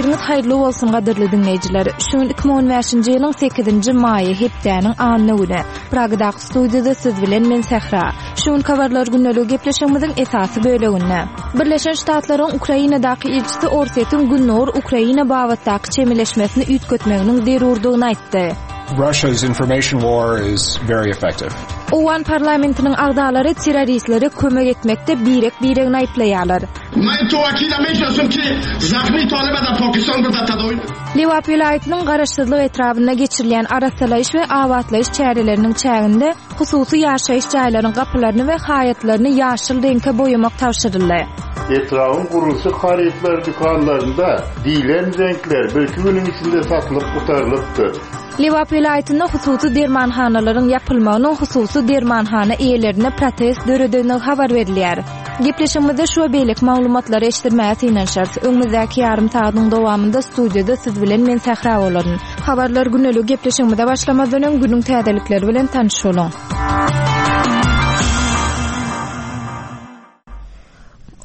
Ertiriňiz haýyrly bolsun gadyrly diňleýjiler. Şu gün 2015-nji ýylyň 8-nji maýy, hepdäniň anna güni. Pragadaky studiýada siz bilen men Sähra. Şu günki habarlar gündeligi gepleşigimiziň esasy böleginde. Birleşen Ştatlaryň Ukrainadaky ilçisi Orsýetiň Gündogar Ukraina babatdaky çemeleşmesini üýtgetmeginiň zerurdygyny aýtdy. Russia's information war is very effective. Owgan parlamentiniň agzalary terroristlere kömek etmekde birek-biregini aýyplaýarlar. Lebap welaýatynyň Garaşsyzlyk etrabynda geçirilýän arassalaýyş we abatlaýyş çäreleriniň çäginde hususy ýaşaýyş jaýlaryň gapylaryny we haýatlaryny ýaşyl reňke boýamak tabşyryldy. Etrabyň gurluşyk harytlary dükanlarynda diýlen reňkler birki günüň içinde satylyp gutarylypdyr. Lebap welaýatynda hususy dermanhanalaryň ýapylmagynyň hususy dermanhana eýelerinde protest döredendigi habar berilýär. Gepleşigimizde şu we beýleki maglumatlary eşitdirmäge synanyşarys. Öňümizdäki ýarym sagadyň dowamynda studiýada siz bilen men Sähra bolaryn. Habarlar güneligi gepleşigimize başlamazdan öň günüň täzelikleri bilen tanyş boluň.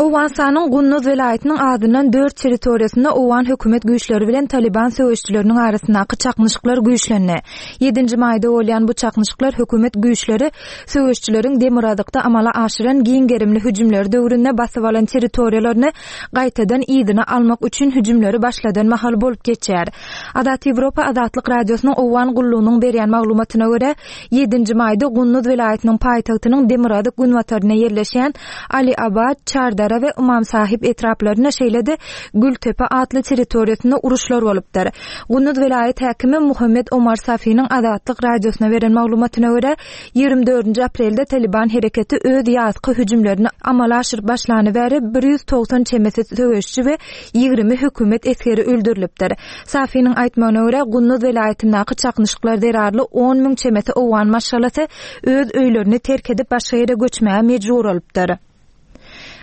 Owganystanyň Gunduz welaýatynyň azyndan dört territoriýasynda owgan hökümet güýçleri bilen Talyban söweşijileriniň arasyndaky çaknyşyklar güýçlendi. Ýedinji maýda bolýan bu çaknyşyklar hökümet güýçleri söweşijileriň demirgazykda amala aşyran giň gerimli hüjümleri döwründe basyp alan territoriýalaryny gaýtadan yzyna almak üçin hüjümleri başladan mahaly bolup geçýär. Azat Ýewropa Azatlyk Radiosynyň Owgan gullugynyň berýän maglumatyna görä, Ýedinji maýda Gunduz welaýatynyň paýtagtynyň demirgazyk-günbatarynda ýerleşýän Ali Abad, Çardara we Ymam Sahib etraplarynda, şeýle-de Gültepe atly territoriýasynda uruşlar bolupdyr. Gunduz welaýat häkimi Muhammet Omar Safiniň Azatlyk Radiosyna beren maglumatyna görä, 24-nji aprelde Talyban hereketi öz ýazky hüjümlerini amala aşyryp başlany bäri 190 çemesi söweşçi we 20 hökümet esgeri öldürilipdir. Safiniň aýtmagyna görä, Gunduz welaýatyndaky çaknyşyklar zerarly on müň çemesi owgan maşgalasy öz öýlerini terk edip başga ýere göçmäge mejbur bolupdyr.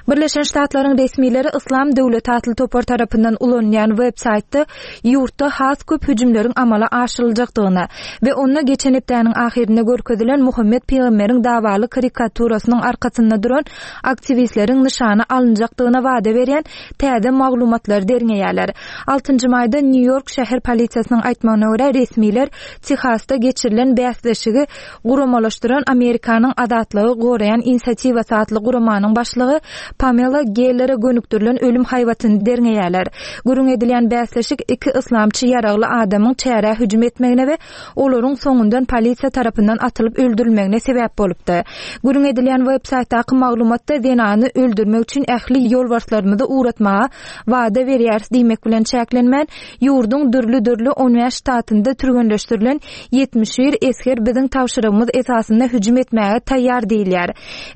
Birleşen Ştatlaryň resmileri Yslam döwleti atly topar tarapyndan ulanylýan web saýtda ýurtda has köp hüjümleriň amala aşyryljakdygyny we onda geçen hepdäniň ahyrynda görkezilen Muhammet pygamberiň dawaly karikaturasynyň arkasynda duran aktiwistleriň nyşana alynjakdygyna wada berýän täze maglumatlary derňeýärler. Altynjy maýda Nýu-Ýork şäher polisiýasynyň aýtmagyna görä, resmiler Tehasda geçirilen bäsleşigi guramalaşdyran Amerikanyň azatlygy goraýan inisiatiwasy atly guramanyň başlygy Pamela Gellere gönükdirilen ölüm haýbatyny derňeýärler. Gürrüň edilýän bäsleşik iki yslamçy ýaragly adamyň çärä hüjüm etmegine we olaryň soňundan polisiýa tarapyndan atylyp öldürilmegine sebäp bolupdy. Gürrüň edilýän web-saýtdaky maglumatda zenany öldürmek üçin ähli ýolbarslarymyzy ugratmaga wada berýäris diýmek bilen çäklenmän, ýurduň dürli-dürli on bäş ştatynda türgenleşdirilen 71 esger biziň tabşyrygymyz esasynda hüjüm etmäge taýýar diýilýär.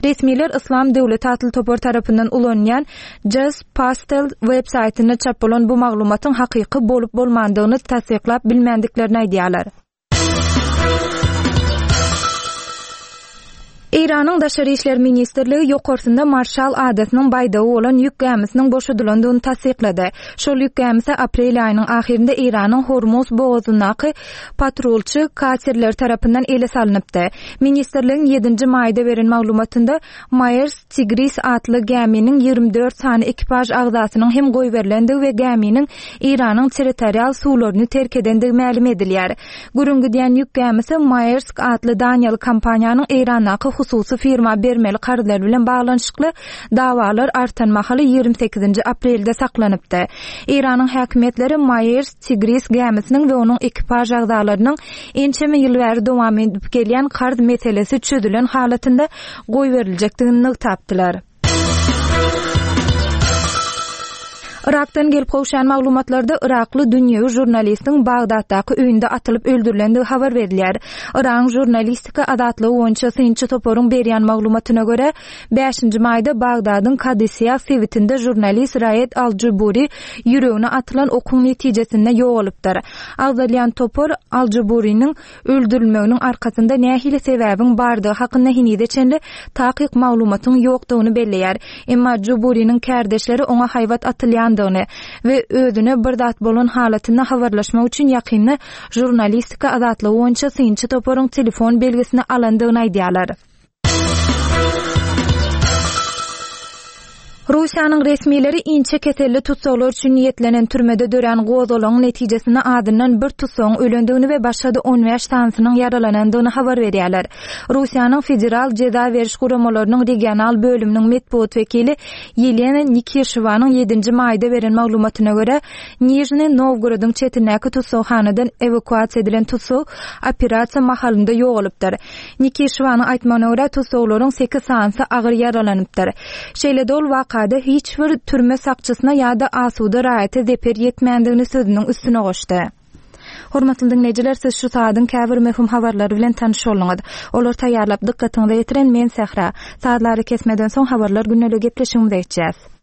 Resmiler Yslam döwleti atly topar tarapyndan ulanylýan Just Pastel web saýtynda çap bolan bu maglumatyň hakyky bolup-bolmandygyny tassyklap bilmändiklerini aýdýarlar. Eýranyň Daşary işler ministrligi ýokarsynda Marşal adasynyň baýdagy bolan ýük gämisiniň boşadylandygyny tassyklady. Şol ýük gämisi aprel aýynyň ahyrynda Eýranyň Hormuz bogazyndaky patrulçy katerleri tarapyndan ele salnypdy. Ministrligiň ýedinji maýda beren maglumatynda Maersk Tigris atly gäminiň 24 sany ekipaž agzasynyň hem goýberilendigi we gäminiň Eýranyň territorial suwlaryny terk edendigi mälim edilýär. Gürrüň gidýän ýük gämisi Maersk atly daniýaly kompaniýanyň Eýrandaky hususy firma bermeli karzlary bilen baglanyşykly dawalar artan mahaly 28-nji aprelde saklanypdy. Eýranyň häkimiýetleri Maersk Tigris gämisiniň we onuň ekipaž agzalarynyň ençeme ýyl bäri dowam edip gelýän karz meselesi çözülen halatynda goýberiljekdigini nygtapdylar. Yrakdan gelip gowşan maglumatlarda yrakly dünýewi žurnalistiň Bagdatdaky öýünde atylyp öldürilendigi habar berilýär. Yragyň žurnalistika azatlygy boýunça synçy toparyň berýän maglumatyna görä, bäşinji maýda Bagdadyň Kadysiýah sebitinde žurnalist Raed al-Juburi ýüregine atylan okuň netijesinde ýogalypdyr. Agzalýan topar al-Juburiniň öldürilmeginiň arkasynda nähili sebäbiň bardygy hakynda henize çenli takyk maglumatyň ýokdugyny belleýär. Emma Juburiniň kärdeşleri oňa haýbat atylýandygyny we özüne bir zat bolan halatynda habarlaşmak üçin ýakynda žurnalistika azatlygy boýunça synçy toparyň telefon belgisini alandygyny aýdýarlar. Russiýanyň resmileri inçe keselli tussaglar üçin niýetlenen türmede dörän gozgalaňyň netijesinde azyndan bir tussagyň ölendigini we başga-da on bäş sanysynyň ýaralanandygyny habar berýärler. Russiýanyň Federal jeza beriş guramalarynyň regional bölüminiň metbugat wekili Ýelena Nikişewanyň ýedinji maýda beren maglumatyna görä, Nižniý Nowgorodyň çetindäki tussaghanadan ewakuasiýa edilen tussag operasiýa mahalynda ýogalypdyr. Nikişewanyň aýtmagyna görä, tussaglaryň sekiz sanysy agyr ýaralanypdyr. Şeýle-de ol wakada hiç bir türme sakçysyna ýa-da asuda raýata zeper ýetmändigini sözüniň üstüne goşdy. Hormatly diňleýjiler, siz şu saadyň käbir möhüm habarlary bilen tanyş bolduňyz. Olary taýýarlap dykgatyňyza ýetiren men Sähra. Sazly arakesmeden soň Habarlar gündelik gepleşigimize geçýäs.